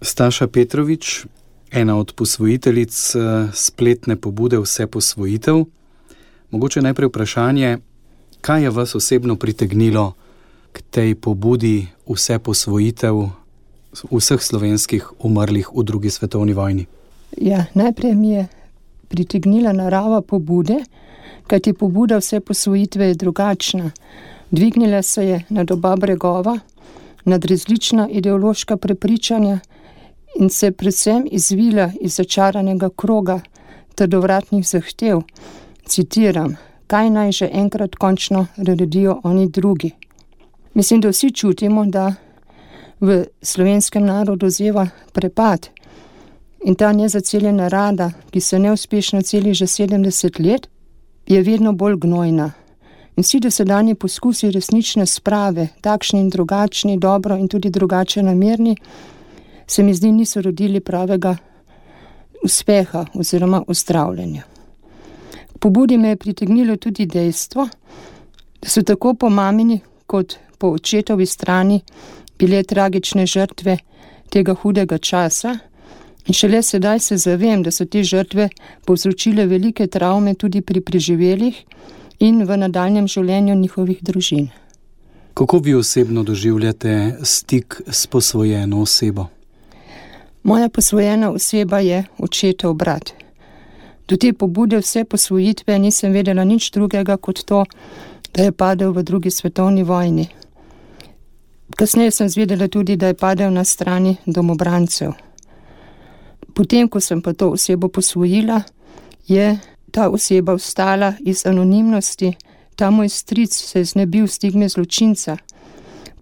Staša Petrovič, ena od posvojiteljic spletne pobude Vseposvojitev. Mogoče najprej vprašanje, kaj je vas osebno pritegnilo k tej pobudi Vseposvojitev vseh slovenskih umrlih v drugi svetovni vojni? Ja, najprej mi je pritegnila narava pobude, kajti pobuda Vseposvojitve je drugačna. Dvignila se je nad oba bregova, nad različna ideološka prepričanja in se predvsem izvila iz začaranega kroga trdovratnih zahtev. Citiram, kaj naj že enkrat končno naredijo oni drugi. Mislim, da vsi čutimo, da v slovenskem narodu zeva prepad in ta nezaceljena rada, ki se neuspešno celi že 70 let, je vedno bolj gnojna. In vsi dosedanji poskusi resnične sprave, takšni in drugačni, dobro in tudi drugače namerni, se mi zdi niso rodili pravega uspeha oziroma uzdravljenja. K pobudi me je pritegnilo tudi dejstvo, da so tako po mamini kot po očetovi strani bile tragične žrtve tega hudega časa in šele sedaj se zavem, da so te žrtve povzročile velike travme tudi pri preživelih in v nadaljnjem življenju njihovih družin. Kako vi osebno doživljate stik s posvojeno osebo? Moja posvojena oseba je očetov brat. Do te pobude Vseposvojitve nisem vedela nič drugega kot to, da je padel v drugi svetovni vojni. Kasneje sem zvedela tudi, da je padel na strani domobrancev. Potem, ko sem pa to osebo posvojila, je ta oseba vstala iz anonimnosti, ta moj stric se je znebil stigme zločinca.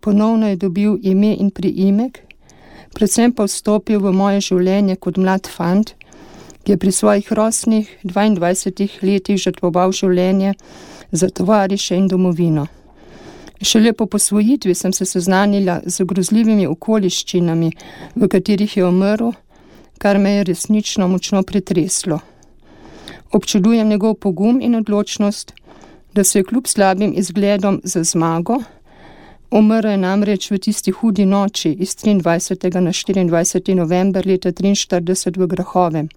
Ponovno je dobil ime in priimek, predvsem pa vstopil v moje življenje kot mlad fant, ki je pri svojih rosnih 22 letih žrtvoval življenje za tovariše in domovino. Šele po posvojitvi sem se seznanila z grozljivimi okoliščinami, v katerih je umrl, kar me je resnično močno pretreslo. Občudujem njegov pogum in odločnost, da se je kljub slabim izgledom za zmago, umrl je namreč v tisti hudi noči iz 23. na 24. november leta 1943 v Grahovem.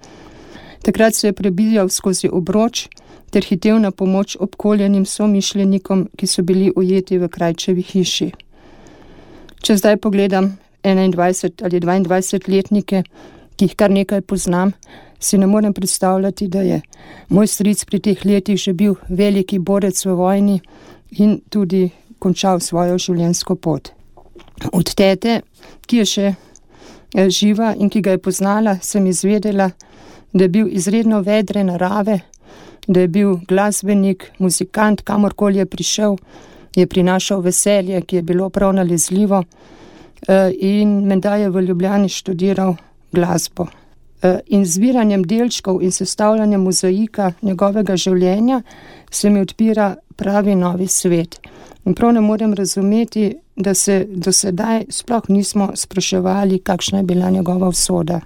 Takrat se je prebijal skozi obroč ter hitel na pomoč obkoljenim somišljenikom, ki so bili ujeti v Krajčevi hiši. Če zdaj pogledam 21 ali 22-letnike, ki jih kar nekaj poznam, si ne morem predstavljati, da je moj stric pri teh letih že bil veliki borec v vojni in tudi končal svojo življenjsko pot. Od tete, ki je še živa in ki ga je poznala, sem izvedela, da je bil izredno vedre narave, da je bil glasbenik, muzikant, kamorkoli je prišel, je prinašal veselje, ki je bilo prav nalezljivo in menda je v Ljubljani študiral glasbo. In zbiranjem delčkov in sestavljanjem mozaika njegovega življenja se mi odpira pravi novi svet. In prav ne morem razumeti, da se do sedaj sploh nismo spraševali, kakšna je bila njegova usoda.